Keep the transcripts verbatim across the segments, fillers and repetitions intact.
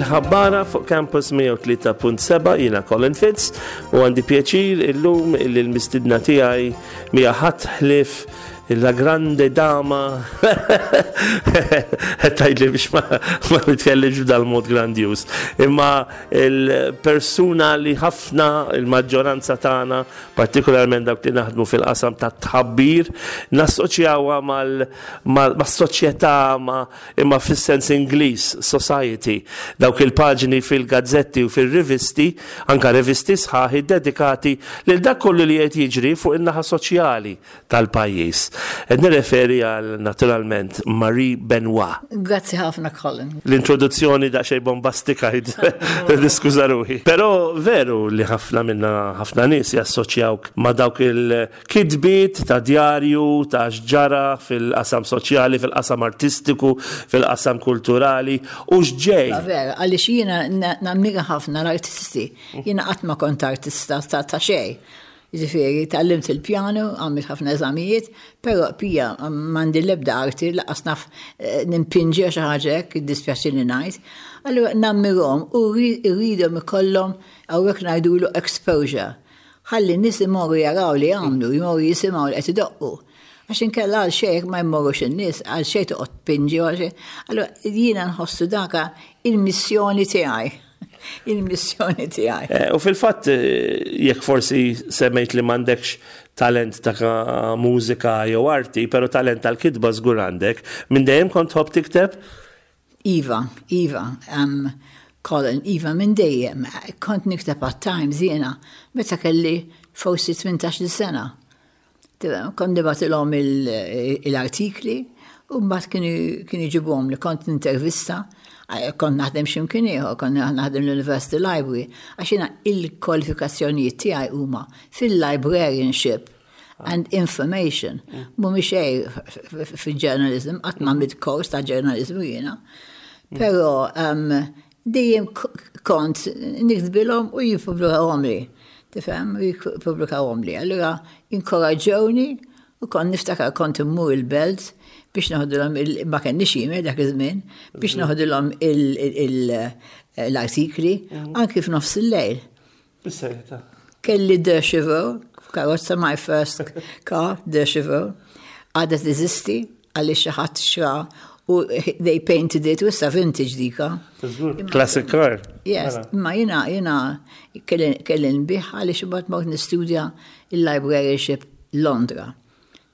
Il-Ħabbara fuq Campus mija u tlieta punt seba'. Jiena Colin Fitz u għandi pjaċir illum illi l-mistidna tiegħi mija ħadd ħlief la grande dama, tgħidli biex ma, ma nitkellimx b'dal-mod grandjuż. Imma il-persuna li ħafna il-maġġoranza tagħna, partikolarment dawk li naħdmu fil-qasam ta' tħabbir, nassoċjawha mal-soċjetà, ma imma fis-sens Ingliż, society. Dawk il-paġni fil-gazzetti u fil-rivisti, anka rivisti sħaħi dedikati lil dak kollu li qed jiġri fuq in-naħa soċjali tal-pajjiż. Qed nirreferi għal, naturalment, Marie Benoit. Grazzi ħafna, Colin. L-introduzzjoni daqsxejn bombastika, niskuża ruħi. Però veru li ħafna minna, ħafna nies jassoċjawk ma' dawk il-kitbiet ta' djarju, ta' x'ġara fil-qasam soċjali, fil-qasam artistiku, fil-qasam kulturali u x'ġej. Vera, għaliex jiena nammira ħafna l-artisti. Jiena qatt ma kont artista ta' ta' xejn. Ġifieri, tgħallimt il-pjano, għamilt ħafna eżamijiet, però pija m'għandi l-ebda arti, lanqas naf eh, nimpinġi xi ħaġa hekk, dispjaċini ngħid. Allura nammirhom u rridhom ikollhom, hawnhekk ngħidulu, exposure. Ħalli n-nies imorru jaraw li għamlu, jmorru jisimgħu li qed idoqqu. Għax inkella għal xejn ma jmorrux in-nies, għal xejn toqgħod tpinġi għal xejn. Allura jiena nħossu daka il-missjoni tiegħi. Il-missjoni tiegħi. Eh, U fil-fatt, eh, jekk forsi semmejt li m'għandekx talent ta' mużika jew arti, pero talent tal-kitba żgur għandek, minn dejjem kont tħobb tikteb? Iva, Iva, um, Colin, Iva, minn dejjem. Kont nikteb għat-Times jiena, meta kelli forsi tmintax-il sena. Tifhem, kont nibgħatilhom il-artikli u mbagħad kienu kienu jġibuhom li kont nintervista, eh, kont naħdem x'imkien ieħor, kont naħdem l-University Library, għax jiena il-kwalifikazzjonijiet tiegħi huma fil-librarianship and information. Mhumiex xejn fil-journalism, qatt ma għamilt kors ta' journalism jiena. Però um, dejjem k- kont niktbilhom u jippubblikawhom li. Tifhem, u jippubblikawhom li. Allura inkoraġġewni u kont niftakar kont immur il-Belt biex noħdilhom, il- ma kenniex email dak iż-żmien, biex noħdilhom l-artikli anki f'nofs il-lejl. Bis-serjetà. Kelli Deux Chevaux, karozza, my first car, Deux Chevaux, għadha teżisti għalli xi ħadd xtra u they painted it u issa vintage dika. Classic car. Yes, ma jiena jiena kelli kelli nbigħha għaliex imbagħad mort nistudja il-librarianship Londra.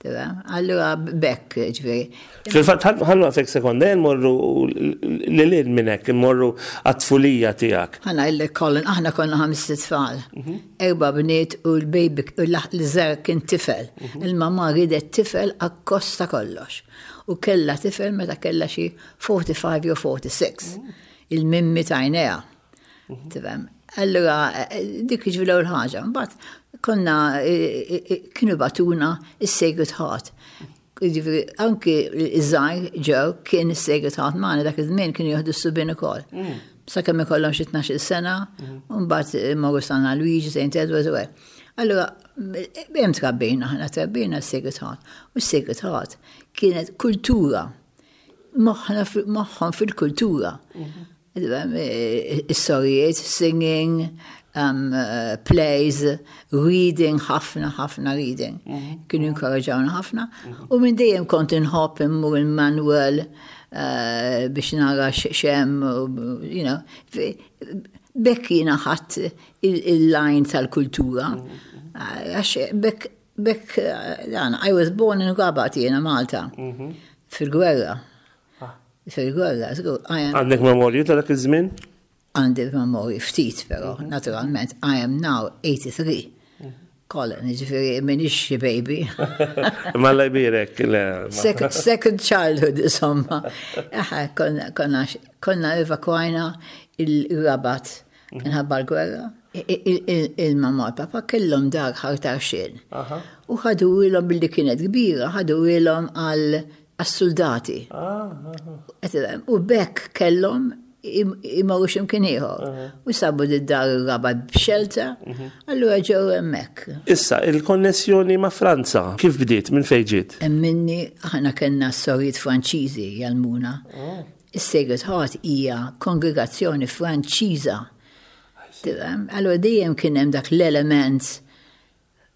Tifhem? Allura bekk, ġifieri. Fil-fatt, ħa nieqfek sekonda, morru lil hinn minn hekk, morru għat-tfulija tiegħek. Ħa ngħidlek, Colin, aħna konna ħames tfal. Erba bniet u l-baby, u l-żgħir kien tifel. Il-mama ridet tifel akkost ta' kollox. U kella tifel meta kella xi erbgħa u erbgħin jew sitta u erbgħin. Il-mimmi tajnea. Tifhem? Allura, eh, dik ġifieri l-ewwel ħaġa. Mbagħad konna eh, eh, kienu bagħtuna is-Sacred Heart. Ġifieri, anki iż-żgħir ġew kien is-Sacred Heart magħna. Dak iż-żmien kienu jieħdu s-subien ukoll. Sakemm ikollhom xi tnax-il sena, u mbagħad morru San Luigi, Saint Edward u hekk. Allura, hemm trabbejna, aħna trabbejna s-Sacred Heart. U s-Sacred Heart kienet kultura. Moħħna moħħhom fil-kultura. Is-sorijiet, singing, um, uh, plays, reading, ħafna, ħafna reading. Kienu inkoraġawna ħafna. U minn dejjem kont inħobb immur il-Manuel uh, biex nara x'hemm, you know. Bekk jiena ħadt il-line tal-kultura. Għax bekk, bekk, dan, I was born in Rabat jiena, Malta, fil-gwerra. Fil-gwerra, Għandek memorju ta' dak iż-żmien? Għandi memorji ftit, però, naturalment, I am now eighty-three. Colin, ġifieri, minix xi baby. Ma la jbirek. Second, second childhood, insomma. Aħa, konna, konna, konna evakwajna il-Rabat minħabba l-gwerra. Il-mamma u papa kellhom dar Ħal Tarxien. U ħadu ilhom billi kienet kbira, ħadu ilhom għal soldati. U bekk kellhom imorru x'imkien ieħor. U sabu d-dar il-Rabat b'shelter, allura ġew hemmhekk. Issa, il-konnessjoni ma' Franza, kif bdiet, minn fejn ġiet? Minni, aħna kellna sorijiet Franċiżi jgħallmuna. Is-Sacred Heart hija kongregazzjoni Franċiża. Tifhem? Allora dejjem kien hemm dak l-element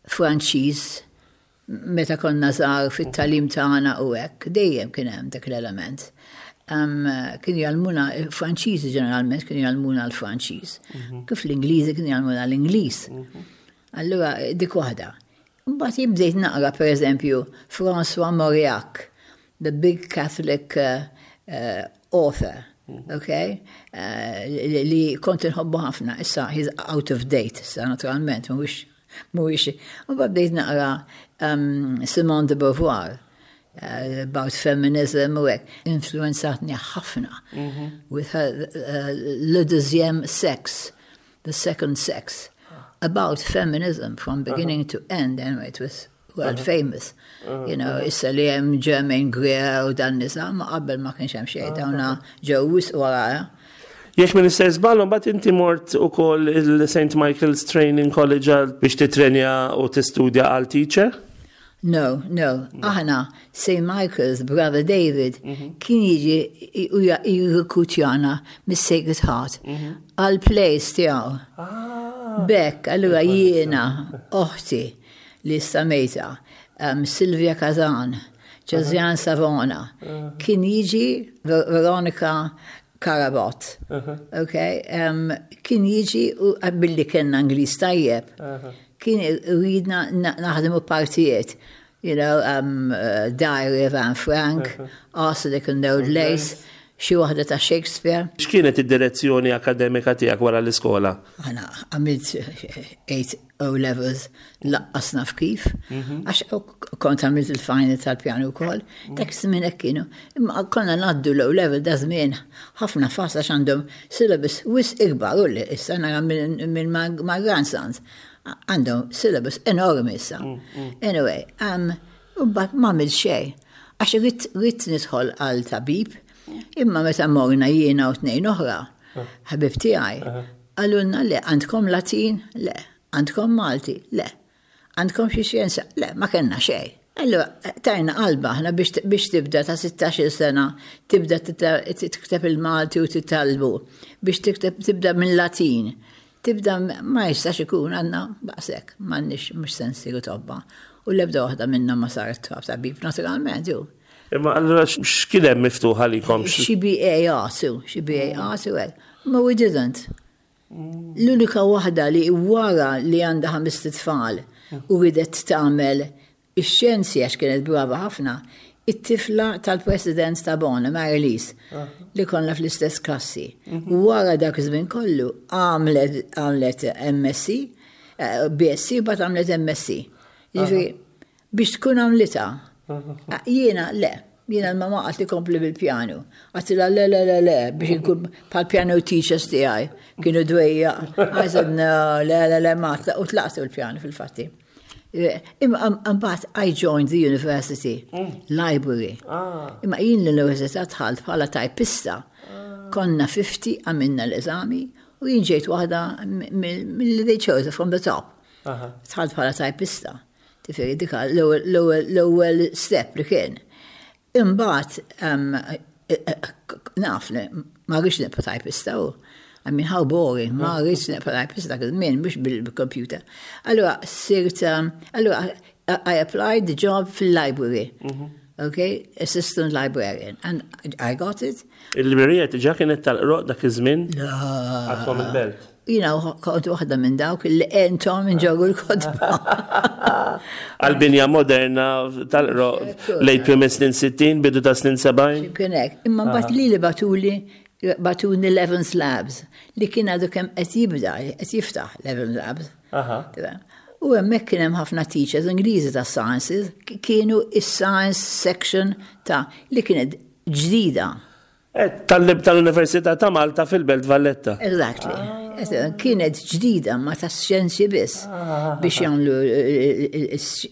Franċiż meta konna żgħar fit-tagħlim tagħna u hekk, dejjem kien hemm dak l-element. Um, kienu jgħallmuna, Franċiżi ġeneralment kienu jgħallmuna l-Franċiż. Kif l-Ingliżi kienu jgħallmuna l-Ingliż. Allura dik waħda. Mbagħad jien bdejt naqra pereżempju François Mauriac, the big Catholic uh, uh, author, okay? Uh, li, li kont inħobbu ħafna, issa he's out of date, issa naturalment, mhuwiex mhuwiex. Mbagħad bdejt naqra um, Simone de Beauvoir, uh, about feminism u hekk, influenzatni ħafna with her uh, Le Deuxième Sexe, The Second Sex, about feminism from beginning to end. Anyway, it was world famous. You know, issa li hemm Germaine Greer u dan nisa, ma qabel ma kienx hemm xejn, dawna ġew wisq wara. Jekk m'iniex sejjer żball, mbagħad inti mort ukoll il-Saint Michael's Training College għal biex titrenja u tistudja għal teacher? No, no. Aħna, Saint Michael's brother David, kien jiġi u jirrekrutjana mis-Sacred Heart għal plays tiegħu. B'hekk, allura jiena, oħti li stamejta, um, Silvia Kazan, Josiane Savona, kien jiġi Ver- Veronica Carabot. Okay, um, kien jiġi u billi kellna Ingliż tajjeb, kien ridna na- naħdmu partijiet. You know, um, uh, Diary of Anne Frank, Arsenic and Old Lace, xi waħda ta' Shakespeare. X'kienet id-direzzjoni akademika tiegħek wara l-iskola? Għana għamilt eight O levels, lanqas naf kif, għax kont għamilt il-final tal-pjanu wkoll, dak żmien hekk kienu. Imma konna ngħaddu l-O level da żmien ħafna fast għax għandhom syllabus wisq ikbar u li issa nara minn minn my my grandsons. Għandhom syllabus enormi issa. Anyway, um, u mbagħad ma għamilt xejn. Għax ridt ridt nidħol għal tabib, imma meta morna jiena u tnejn oħra, ħabib tiegħi, qalulna le, għandkom Latin? Le. Għandkom Malti? Le. Għandkom xi xjenza? Le, ma kellna xejn. Allora, tajna qalba aħna biex biex tibda ta' sittax-il sena, tibda tita- tikteb il-Malti u titgħallmu, biex tikteb tibda minn Latin. Tibda ma jistax ikun għandna baqsek, m'għandniex mhux se nsiru tobba. U l-ebda waħda minna ma saret tabib naturalment, ju. Imma allura x'kien hemm miftuħ għalikom? Xi B A Arts, u, xi B A Arts u hekk. Ma we didn't. L-unika waħda li wara li għandha ħames tfal u ridet tagħmel ix-xjenzi għax kienet brava ħafna, it-tifla tal-president ta' Bona, Marilise, li konna fl-istess klassi. Wara dak iż-żmien kollu għamlet għamlet M S C, eh, B S C, bat għamlet M S C. Jiġifieri, biex tkun għamlitha. Jiena le, jiena l-mama qaltli kompli bil-pjanu. Għedtilha le, le, le, le, biex nkun bħal piano teachers tiegħi kienu dwejja. I said, no, le, le, le, ma, u tlaqtu l-pjanu fil-fatti. Imma mbagħad I joined the university library. Imma jien l-università dħalt bħala tajpista. Konna ħamsin, għamilna l-eżami u jien ġejt waħda mill they chose from the top. Dħalt bħala tajpista. Tifiri dika l-ewwel step li kien. Imbagħad um, naf li ma rridx nibqa' tajpista u I mean, how boring, ma rridx nibqa' tajpista dak iż-żmien mhux bil-computer. Allura sirt, um, allura I applied the job fil-library. Okay, assistant librarian. And I got it. Il-librerija diġà kienet tal-Qroqq dak iż-żmien? La. Għadkom il-Belt. You know, kont waħda minn dawk li entom inġorru l-kotba. Għal-binja moderna tal-Qroqq lejn prim snin sittin, bidu ta' snin sebgħin. Kien hekk. Imma mbagħad li li bagħtuli bagħtuni Levens Labs li kien għadu kemm qed jibda, qed jiftaħ Levens Labs. Aha. U hemmhekk kien hemm ħafna teachers Ingliżi ta' sciences, kienu is-science section ta' li kienet ġdida. Eh, Tal- Tal-Università ta' Malta fil-Belt Valletta. Exactly. Kienet ġdida ma ta' xjenzi biss biex jagħmlu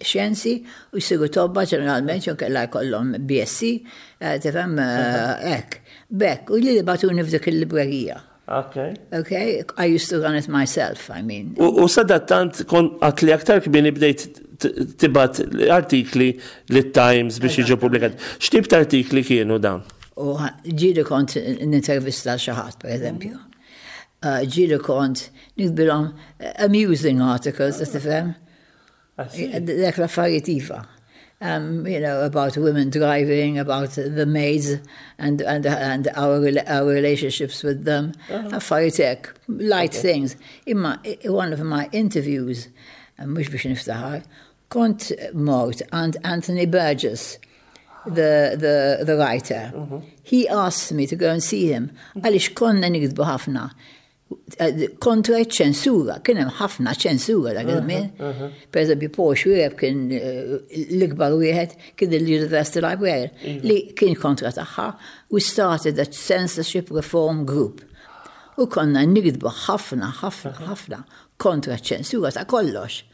xjenzi u jsiru tobba ġeneralment jew kellha jkollhom B S C, eh, tifhem, eh, hekk. B'hekk, u li bagħtuni f'dik il-librerija. Okay. Okay, I used to run it myself, I mean. U u sadattant kont għedt li aktar kmieni bdejt t- tibgħat artikli lit-Times biex jiġu pubblikati. X'tip ta' artikli kienu dawn? U ġieli kont nintervista xi ħadd, per eżempju. Uh, ġieli kont niktbilhom amusing articles, tifhem? Dak l-affarijiet iva. Um, you know, about women driving, about the maids and, and, and our, our relationships with them. Affarijiet hekk, light things. Imma one of my interviews, mhux biex niftaħar, kont mort għand Anthony Burgess, the, the, the writer. He asked me to go and see him. Għaliex konna niktbu ħafna kontra ċensura, kien hemm ħafna ċensura dak iż-żmien. Per eżempju, Paul Xuereb kien l-ikbar wieħed kien il-University Librarian li kien kontra tagħha. We started a censorship reform group. U konna niktbu ħafna, ħafna, ħafna kontra ċensura ta' kollox.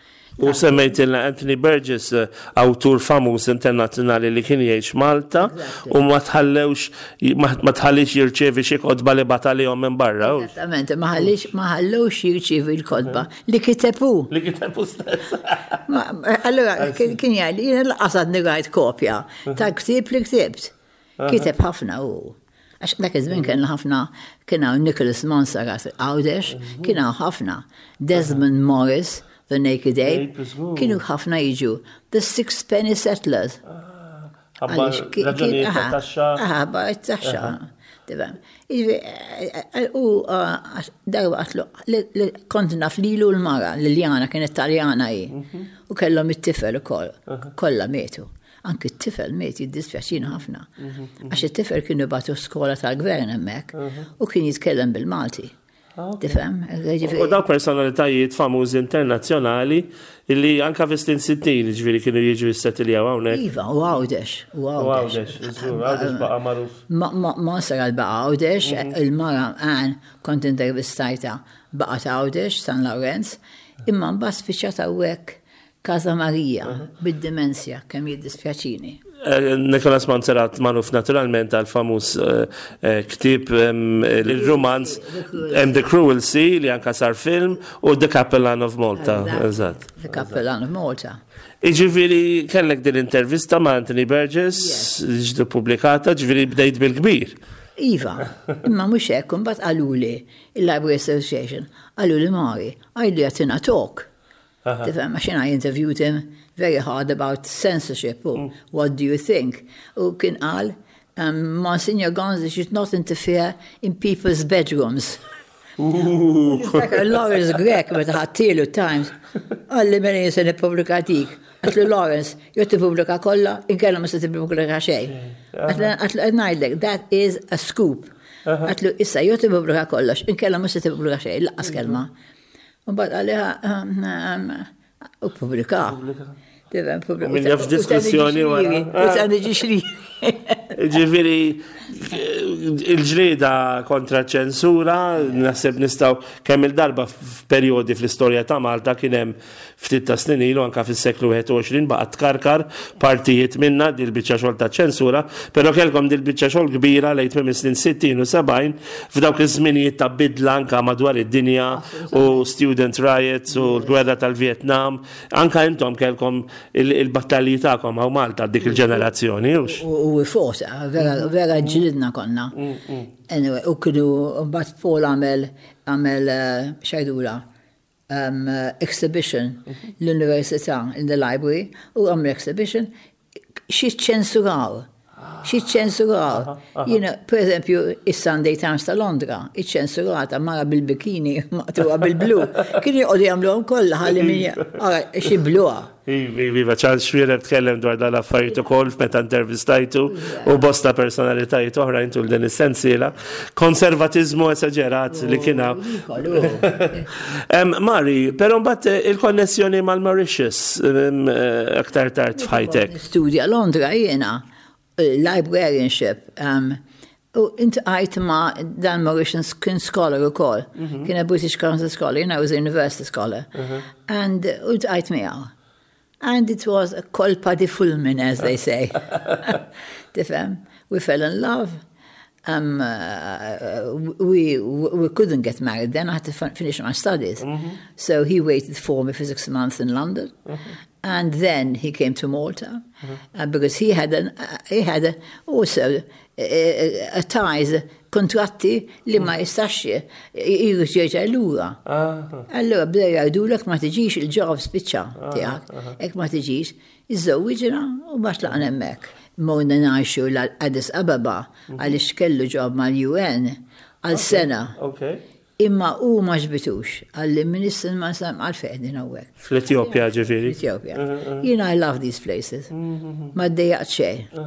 U semmejtilna Anthony Burgess, awtur famuż internazzjonali li kien jgħix Malta u ma tħallewx ma tħallix jirċievi xi kotba li bagħat għalihom minn barra. Esattament, ma ħallix ma ħallewx jirċievi l-kotba li kiteb hu. Li kiteb hu stess. Allora kien jgħid jiena lanqas għadni rajt kopja ta' ktieb li ktibt. Kiteb ħafna u. Għax dak iż-żmien kien ħafna kien hawn Nicholas Monsarrat Għawdex, kien hawn ħafna. Desmond Morris, The Naked Ape, kienu ħafna jiġu. The Sixpenny Settlers. Taxxa. Ba taxxa. U darba għedtlu, kont naf lilu l-mara, Liliana kienet Taljana hi. U kellhom it-tifel ukoll, kollha mietu. Anki t-tifel miet jiddispjaċina ħafna. Għax it-tifel kienu bagħtu skola tal-gvern hemmhekk u kien jitkellem bil-Malti. Tifhem? U daw personalitajiet famużi internazzjonali illi anka fi snin sittin ġifieri kienu jiġu jissettiljaw hawnhekk. Iva, u Għawdex. U Għawdex, Għawdex baqa' magħruf. Monsarrat baqa' Għawdex, il-mara għan kont intervistajtha baqgħet Għawdex, San Lawrenz, imma mbagħad spiċċat hawnhekk Casa Maria, bid-demenzja, kemm jiddispjaċini. Nicholas Monsarrat magħruf naturalment għal famuż ktieb il-romanz The Cruel Sea li anka sar film u The Capelan of Malta. Eżatt. The Capelan of Malta. Iġifieri kellek din intervista ma' Anthony Burgess, ġiet pubblikata, ġifieri bdejt bil-kbir. Iva, imma mhux hekk, imbagħad qaluli il-Library Association, qaluli Mari, għidlu jagħtina talk. Tifhem, għax I interviewed him very hard about censorship. U what do you think? U kien qal, um, Monsignor Gonzi should not interfere in people's bedrooms. Niftakar Lawrence Grech meta ħadthielu Times, qalli mela se nippubblika dik. Għedtlu Lawrence, jew tippubblika kollha, inkella ma se tippubblika xejn. Għedtlu ngħidlek, that is a scoop. Għedtlu issa jew tippubblika kollox, inkella ma se tippubblika xejn, lanqas kelma. U mbagħad għaliha u ppubblika. Min jaf diskussjoni wara. U ta' niġi li. Ġifieri, il-ġlieda kontra ċensura, naħseb nistgħu kemm il-darba f'perjodi fl-istorja ta' Malta kien hemm ftit ta' snin ilu anka fis-seklu wieħed u għoxrin baqgħet tkarkar partijiet minna dil-biċċa xogħol ta' ċensura, però kellkom dil-biċċa xogħol kbira lejn tmiem is-snin sittin u sebgħin f'dawk iż-żminijiet ta' bidla anka madwar id-dinja u student riots u l-gwerra tal-Vietnam. Anka intom kellkom il-battalji tagħkom hawn Malta dik il-ġenerazzjoni, hux? U forsa, vera, vera ġlidna konna. Anyway, u kienu, mbagħad Paul għamel, għamel x'jgħidulha, um, exhibition l-università in the library, u għamel exhibition xi ċensuraw. Xi ċensuraw. Jiena, per eżempju, is-Sunday Times ta' Londra, iċ-ċensurata mara bil-bikini, maqtugħa bil-blu. Kienu joqogħdu jagħmluhom kollha ħalli min xi bluha. Iva, Charles Xuereb tkellem dwar dal-affarijiet ukoll meta intervistajtu u bosta personalitajiet oħra tul din is-sensiela. Konservatizmu esaġerat li kien hawn. Mari, però mbagħad il-konnessjoni mal-Mauritius aktar tard f'ħajtek. Studja Londra jiena, librarianship. Um, u iltqajt ma' dan Mauritian kien scholar ukoll. Kien a British Council scholar, you know, I was a university scholar. And u ltqajt miegħu. And it was a colpa di fulmine, as they say. Tifhem? We fell in love. Um, uh, we, we couldn't get married then. I had to finish my studies. So he waited for me for six months in London. And then he came to Malta uh, because he had, an, uh, he had a, also uh, a ties, kontratti li ma jistax jrid jerġa' lura. Allura bdew jgħidulek ma tiġix, il-job spiċċa tiegħek, hekk ma tiġix, iżżewwiġna u ma tlaqna hemmhekk. Morna ngħixu l-Addis Ababa għaliex kellu job mal-U N għal sena. Okay. Imma u ma għoġbitux, qalli ministru ma sam għalfejn din hawnhekk. Fl-Etjopja, ġifieri. Ethiopia. You know, I love these places. Ma ddejjaqt xejn.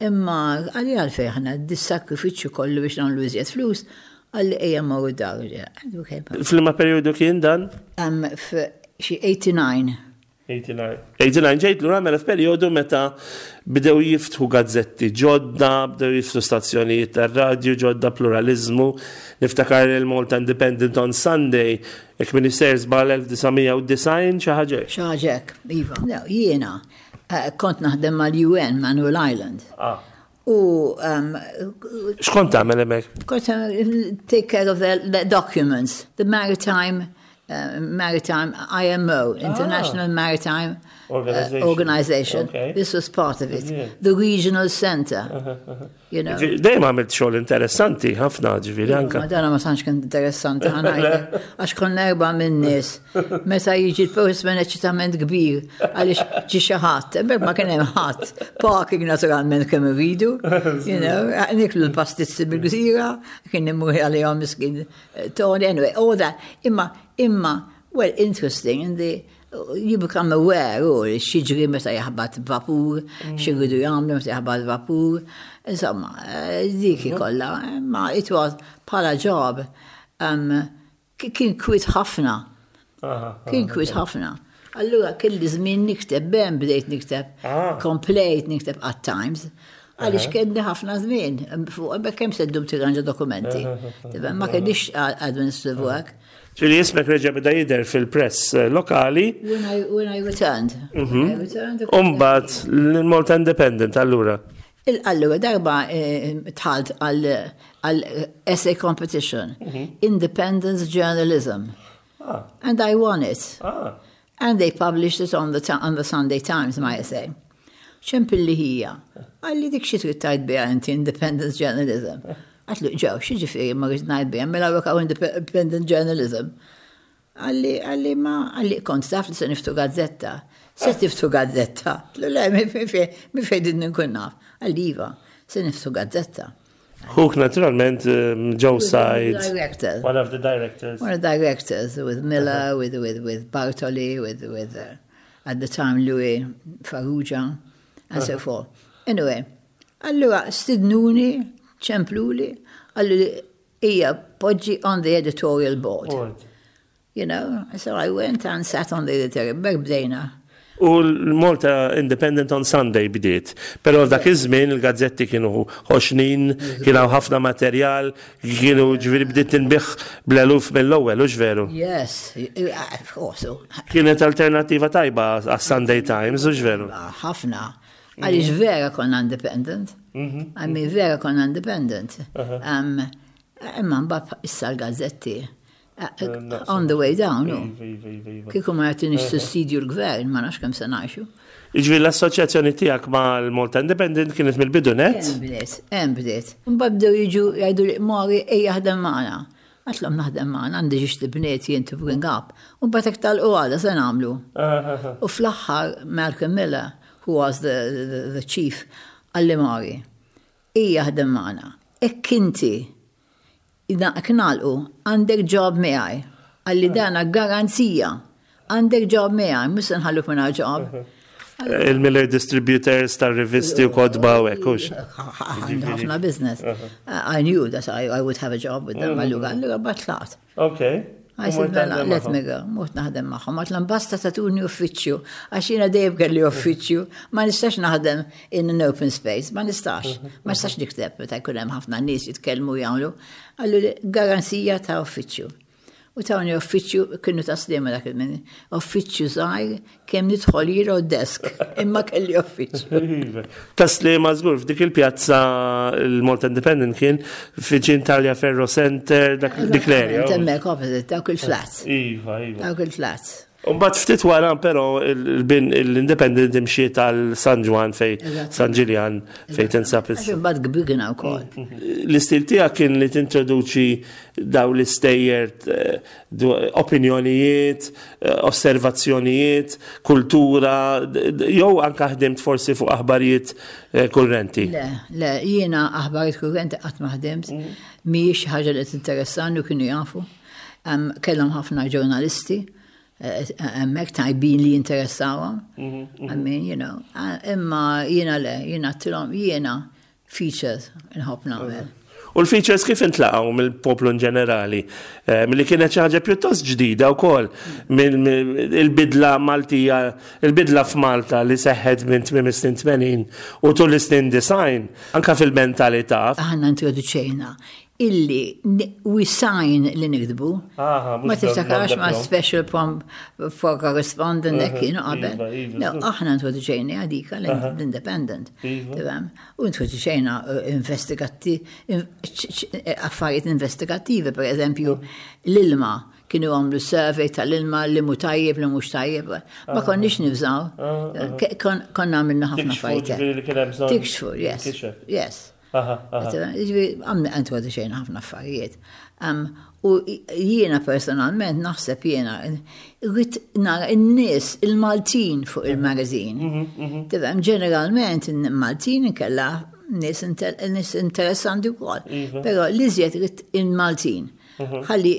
Imma qalli għalfejn ħana dis-sakrifiċċju kollu biex nagħmlu iżjed flus, qalli ejja mmorru dar. F'liema periodu kien dan? Um, Xi eighty-nine. eighty-nine. eighty-nine ġejt lura mela f'perjodu meta bdew jiftħu gazzetti ġodda, bdew jiftħu stazzjonijiet tar-radju ġodda, pluralizmu. Niftakar il-Malta Independent on Sunday, jekk m'iniex sejjer żball elf disa' mija u disgħin, xi ħaġa. Xi ħaġa hekk, iva. No, jiena eh, kont naħdem mal-U N, Manuel Island. Ah. U um, X'kont tagħmel hemmhekk? Kont uh, take care of the, the documents, the maritime, uh, maritime I M O, International Maritime uh, Organization. Organization. Okay. This was part of it. Yeah. The regional center, you know. Dejjem għamilt xogħol interessanti ħafna, ġifieri anka. Ma dana ma tantx kien interessanti, ħa ngħidlek, għax konna erba' minn nies. Meta jiġi l-postman eċitament kbir għaliex ġi xi ħadd, hemmhekk ma kien hemm ħadd. Parking naturalment kemm iridu, you know, niklu l-pastizzi bil-gżira, kien immur għalihom miskin Tony, anyway, all that. Imma, imma, well, interesting, in the you become aware, u x'jiġri meta jaħbat vapur, x'iridu jagħmlu meta jaħbat vapur, insomma, eh, dik kollha, ma it was bħala job, um, ki- kien kwit ħafna, kien kwit ħafna. Allura kelli żmien nikteb, ben bdejt nikteb, Ah. komplejt nikteb at times, għaliex kelli ħafna żmien, fuq hemmhekk kemm se ddum tirranġa dokumenti. Tifhem, ma kellix administrative work. Ġifieri ismek reġa' beda jidher fil-press eh, lokali, When I, when I returned, when I returned, u mbagħad l-Malta Independent allura. Il- Allura, darba eh, dħalt għal għal essay competition, Independence Journalism, Ah, and I won it. ah. And they published it on the, ti- on the Sunday Times, my essay. Ċempilli ħija. Qalli dik xi trid tgħid biha inti Independence Journalism? Għedtlu ġew, x'jiġifieri ma rrid ngħid biha, mela hawn Independent Journalism. Qalli, qalli ma, qalli kont taf li se niftħu gazzetta. Se tiftħu gazzetta. Għedtlu le, mi fej din nkun naf. Qalli iva, se niftħu gazzetta. Ħuk naturalment um, Joe Said. Director. One of the directors. One of the directors with Miller, with, with, with Bartoli, with, with uh, at the time Louis Farrugia, and so forth. Anyway, allura stidnuni, ċempluli, qallu ejja poġġi on the editorial board. Board. You know, so I went and sat on the editorial board, bdejna. U l-Malta Independent on Sunday bdiet. Pero f'dak iż-żmien il-gazzetti kienu ħoxnin, kienu ħafna materjal, kienu ġifieri bdiet tinbiegħ bl-eluf mill-ewwel, hux veru? Yes, of course. Kienet alternativa tajba għas-Sunday Times, hux veru? Ħafna. Għaliex vera konna independent. I mean, vera konna independent. Um, Imma mbagħad issa l-gazzetti. uh, On the way down, no. Kieku ma jagħtinix sussidju l-gvern, ma nafx kemm se ngħixu. Ġifieri l-assoċjazzjoni tiegħek mal-Malta Independent kienet mill-bidu net? Hemm bdiet, hemm bdiet. Mbagħad bdew jiġu jgħidu li Mari ejja ħdem magħna. Għedtlhom naħdem magħna, għandi żewġt ibniet jien to bring up. U mbagħad hekk tal-qgħada se nagħmlu. U fl-aħħar Malcolm Miller, who was the, the, the chief, qalli Mari, ejja ħdem magħna. Jekk inti nagħlqu għandek job miegħi. Qalli dana garanzija. Għandek job miegħi, mhux se nħalluk mingħajr job. Il-Miller Distributors tar-rivisti u kotba u hekk, hux? Għandu ħafna business. I knew that I, I would have a job with them. Allura, allura tlaqt. Okay. I said, mela, let me go, mort naħdem magħhom. Għedtlhom basta tagħtuni uffiċċju, għax jiena dejjem kelli uffiċċju, ma nistax naħdem in an open space, ma nistax. Ma nistax nikteb, meta jkun hemm ħafna nies jitkellmu jagħmlu. Qallu garanzija ta' uffiċċju. U tawni uffiċċju, kienu ta' Sliema dak il-min, uffiċċju żgħir kemm nidħol jiena u desk, imma kelli uffiċċju. Ta' Sliema żgur, f'dik il-pjazza il-Malta Independent kien viċin Tagliaferro Center, dak dik l-area. Hemmhekk opposite, dawk il-flats. Iva, iva. Dawk il-flats. Umbagħad ftit wara però l-Independent imxiet għal San Ġwann, fej San Ġiljan, fej tinsab. Għax imbagħad kbirna wkoll. L-istil tiegħek kien li tintroduċi daw l-istejjer, eh, opinjonijiet, eh, osservazzjonijiet, kultura, jew anka ħdimt forsi fuq aħbarijiet eh, kurrenti? Le, le, jiena aħbarijiet kurrenti qatt ma ħdimt, mhijiex ħaġa li tinteressani u kienu jafu. Kellhom ħafna ġurnalisti hemmhekk tajbin li jinteressawhom. I mean, you know, imma jiena le, jiena għedtilhom jiena features nħobb nagħmel. U l-features kif intlaqgħu mill-poplu in ġenerali? Eh, milli kienet xi ħaġa pjuttost ġdida wkoll il-bidla Maltija, il-bidla f'Malta li seħħet minn tmiem is-snin tmenin u tul is-snin disgħin, anka fil-mentalità. Aħna introduċejna illi we sign li niktbu. Ma tiftakarx ma special for correspondent hekk kienu qabel. Iva, iva, no, aħna introduċejna għadika l-Independent. Iva. U introduċejna eh, investigatti, affarijiet investigattivi, per eżempju, l-ilma, kienu għamlu survey tal-ilma li mhu tajjeb, li mhux tajjeb. Ma konniex nibżgħu. Konna għamilna ħafna affarijiet. Tikxfu, yes. Yes. Għamna introduċejna ħafna affarijiet. U jiena personalment naħseb jiena rrid nara n-nies, il-Maltin fuq il-magazine. Mhm, mhm. Tifhem, ġeneralment il-Maltin inkella nies interessanti wkoll. Iva. Però l-iżjed rrid il-Maltin. Mhm. Ħalli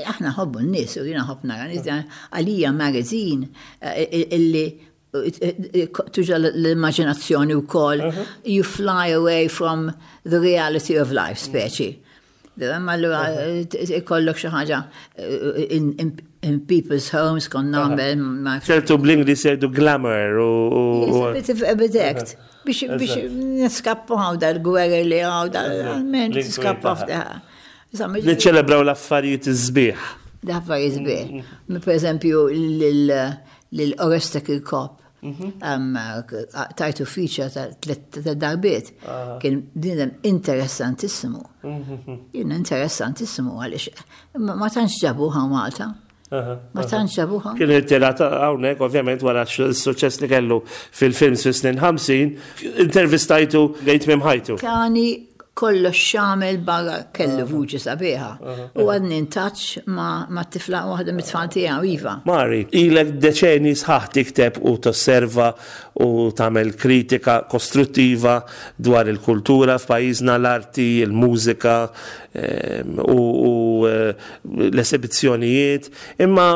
aħna nħobbu n-nies u jiena nħobb nara nies, għalija magazine eh, illi tuża l-immaġinazzjoni wkoll, you fly away from the reality of life, speċi. Allura ikollok xi ħaġa in people's homes kon nagħmel. ċertu bl-Ingliż jgħidu glamour u. A bit of a bit act. Biex biex niskappu hawn dal-gwerra li hawn dal-men niskappu. Niċċelebraw l-affarijiet iż-sbieħ. L-affarijiet sbieħ. Per eżempju, lil Oreste Kirkop. Tajtu feature ta' tliet darbiet. Kien bniedem interessantissimu. Jien interessantissimu għaliex ma tantx ġabuha Malta. Ma tantx ġabuha. Kien irtirat hawnhekk, ovvjament wara s-suċċess li kellu fil-films fis-snin ħamsin, intervistajtu lejn tmiem ħajtu. Kani kollox xamel barra, kellu vuċi sabiħa. U għadni in touch ma, ma tifla, waħda mit-tfal tiegħu, iva. Mari, ilek deċeni sħaħ tikteb u tosserva u tagħmel kritika kostruttiva dwar il-kultura f'pajjiżna, l-arti, il-mużika em, u, u eh, l-esibizzjonijiet. Imma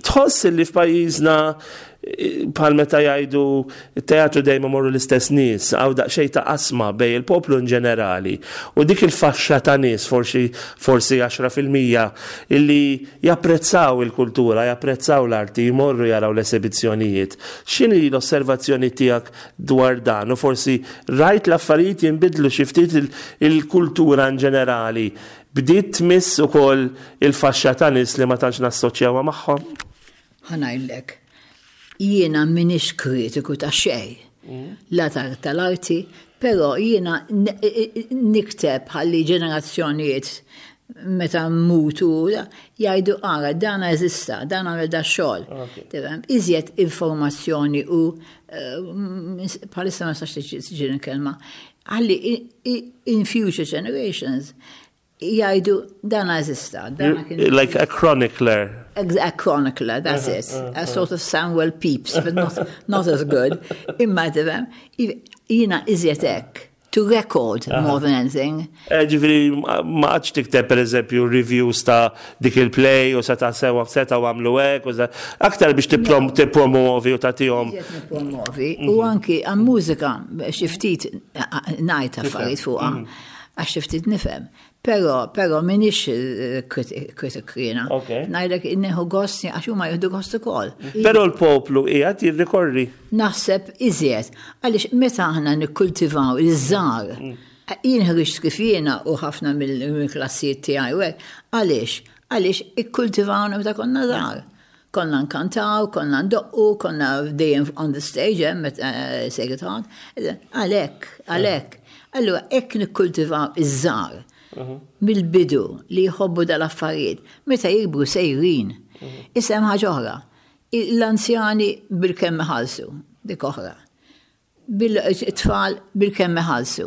tħoss li f'pajjiżna eh, bħal meta jgħidu teatru dejjem morru l-istess nies, hawn daqsxejn ta' qasma bejn il-poplu in ġenerali u dik il-faxxa ta' nies, forsi forsi għaxra fil-mija illi japprezzaw il-kultura, japprezzaw l-arti, jmorru jaraw l-esibizzjonijiet. X'inhi l-osservazzjoni tiegħek dwar dan? U forsi rajt l-affarijiet jinbidlu xi ftit, il- il-kultura in ġenerali bdiet tmiss ukoll il-faxxa ta' nies li ma tantx nassoċjawha magħhom? Ħa ngħidlek, jiena minix kritiku ta' xejn. La ta' tal-arti, pero jiena n- nikteb ħalli ġenerazzjonijiet meta mmutu jgħidu: "Ara, dan eżista, dan għamel da xogħol." Tifhem, iżjed informazzjoni u eh, bħalissa ma sax tiġi kelma, ħalli i- i- in future generations jgħidu: "Dan eżista, dan kien." Like a chronicler. Ex- A chronicler, that's it. A sort of Samuel Pepys, but not, not as good. Imma tifhem, jiena iżjed hekk. To record more than anything. Eh, Ġifieri, ma għadx tikteb per eżempju reviews ta' dik il-play u seta' sewa seta' u għamlu hekk, u sa- aktar biex tipprom- tippromovi u tagħtihom. Iżjed nippromovi. U anki għal mużika xi ftit ngħid affarijiet fuqha, għax xi ftit nifhem. Pero, pero minix kritik jiena. Ok. Ngħidlek nieħu gost għax huma jieħdu gost ukoll. Però l-poplu qiegħed jirrikorri. Naħseb iżjed, għaliex meta aħna nikkultivaw iż-żgħar, jien ħriġt kif jiena u ħafna mill-klassijiet tiegħi u hekk, għaliex? Għaliex ikkultivawna meta konna żgħar. Konna nkantaw, konna ndoqqu, konna dejjem on the stage, eh, meta Sacred Heart. Għalhekk, għalhekk. Allura, hekk nikkultivaw iż-żgħar mill-bidu li jħobbu dal-affarijiet, meta jikbru sejrin. Issa hemm ħaġa oħra. L-anzjani bil-kemm iħallsu, dik oħra. Bil-tfal bil-kemm iħallsu.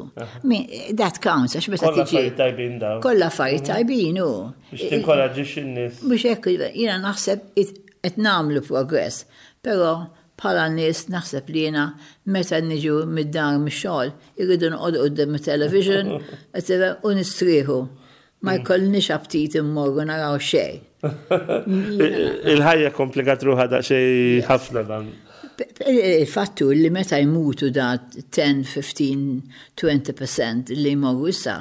That counts, għax meta Kollha affarijiet tajbin dawn. Kollha affarijiet tajbin, u. Biex tinkoraġġix in-nies. Mhux hekk, jiena naħseb qed nagħmlu progress, però bħala nies naħseb li jiena meta niġu mid-dar mix-xogħol irridu noqogħdu quddiem it-television u nistrieħu. Ma jkollniex aptit immorru naraw xejn. Il-ħajja komplikat ruħha daqsxejn ħafna dan. Il-fattu li meta jmutu da ten, fifteen, twenty percent li jmorru issa,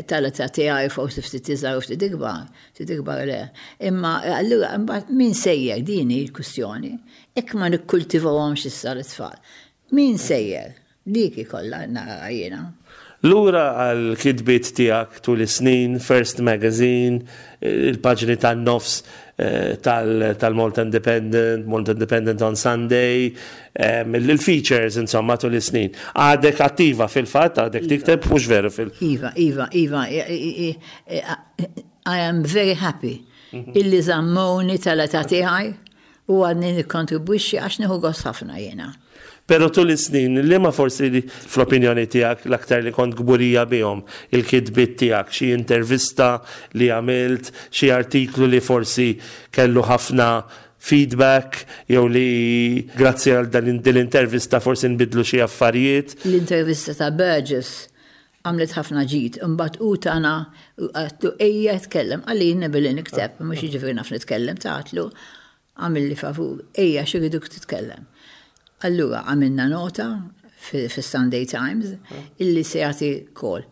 tal-età tiegħi forsi ftit iżgħar u ftit ikbar, ftit ikbar le. Imma allura imbagħad min sejjer, din hi l-kwistjoni. Jekk ma nikkultivawhomx issa l-tfal. Min sejjer? Dik ikollha nara jiena. Lura għal kitbiet tiegħek tul is-snin, First Magazine, il-paġni tan-nofs eh, tal-Malta Independent, Malta Independent on Sunday, il-features insomma tul is-snin. Għadek attiva fil-fatt, għadek tikteb, mhux veru fil- Iva, Iva, Iva, I am very happy illi żammewni tal-età tiegħi u għadni nikkontribwixxi għax nieħu gost ħafna jiena. Pero tul is-snin, li ma forsi li fl-opinjoni tiegħek l-aktar li kont kburija bihom il-kitbiet tiegħek, xi intervista li għamilt, xi artiklu li forsi kellu ħafna feedback, jew li grazzi għal dan l-intervista forsi nbidlu xi affarijiet? L-intervista ta' Burgess għamlet ħafna ġid, imbagħad u tana għedtlu ejja tkellem, qalli jiena billi nikteb, mhux jiġifieri naf nitkellem, għedtlu għamilli favur, ejja x'irriduk titkellem. Allura għamilna nota fi Sunday Times illi se jagħti kol.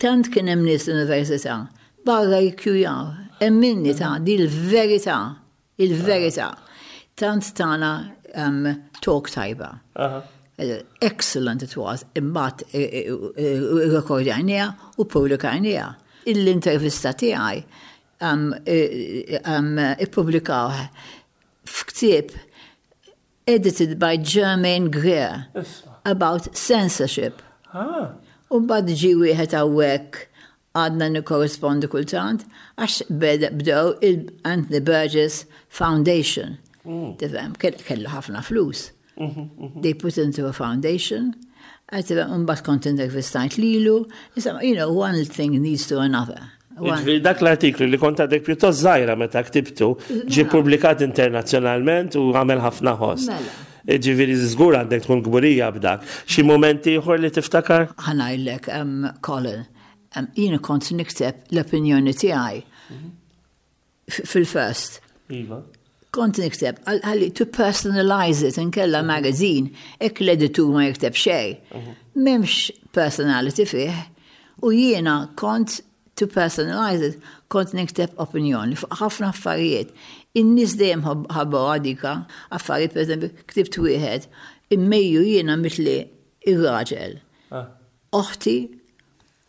Tant kien hemm nies l-università barra jikkjujaw, emminni ta' di l-verità, il-verità. Tant tana um, talk tajba. Excellent it was, imbagħad rekordjajnieha u publikajnieha. L-intervista tiegħi um, um, ippubblikaw f'ktieb edited by Germaine Greer about censorship. Ah. U mbagħad ġie wieħed hawnhekk, għadna nikkorrespondu kultant, għax bdew il-Anthony Burgess Foundation. Tifhem, kellu ħafna flus. They put into a foundation. Mbagħad kont intervistajt lilu. You know, one thing leads to another. Ġifieri dak l-artiklu li kont għadek pjuttost żgħira meta ktibtu, ġie publikat internazzjonalment u għamel ħafna ħoss. Mela. Ġifieri żgur għandek tkun kburija b'dak. Xi moment ieħor li tiftakar? Ħa ngħidlek, um, Colin, um, jiena kont nikteb l-opinjoni tiegħi fil-First. Iva. Kont nikteb, għalli to personalize it, inkella magazine, jekk l-editur ma jikteb xejn. M'hemmx personality fih. U jiena kont to personalize it, kont nikteb opinjoni fuq ħafna affarijiet. In-nies dejjem ħabbu għadika, affarijiet, per eżempju, ktibt wieħed, immejju jiena mitli ir-raġel. Oħti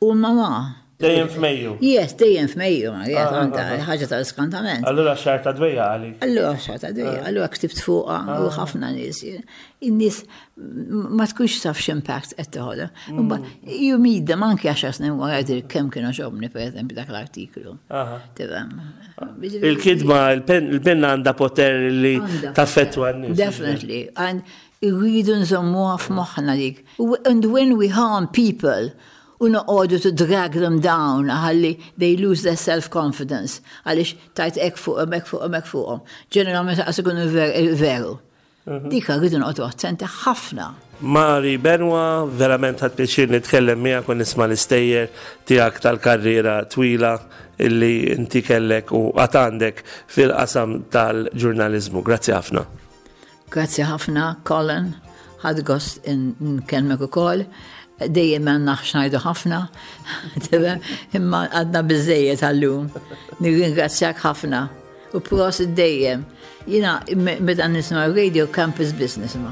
u mama. Dejjem f'Mejju. Yes, dejjem f'Mejju, Marija, għandha ħaġa tal-skantament. Allura xahar ta' dwejjaq għalik. Allura xahar ta' dwejjaq, allura ktibt fuqha u ħafna nies. In-nies ma tkunx taf x'impact qed toħodha. You meet them anke għaxar snin wara jgħidilek kemm kienu għoġobni, pereżempju, dak l-artiklu. Tifhem. Il-kitba, il-penna għandha poter li taffettwa n-nies. Definitely. And irridu nżommuha f'moħħna dik. And when we harm people, u noqogħdu to drag them down ħalli they lose their self-confidence għaliex tajt hekk fuqhom, hekk fuqhom, hekk fuqhom. Ġeneralment qas ikunu veru. Dik rridu noqogħdu attenti ħafna. Mari Benoit, verament ħadt pjaċir nitkellem miegħek u nisma' l-istejjer tiegħek tal-karriera twila illi inti kellek u għad għandek fil-qasam tal-ġurnalizmu. Grazzi ħafna. Grazzi ħafna, Colin. Ħadt gost nkellmek ukoll. Dejjem għandna x'ngħidu ħafna, imma għadna biżejjed għallum. Nirringrazzjak ħafna. U prosit dejjem. Jiena meta nisma' radio Campus Business ma.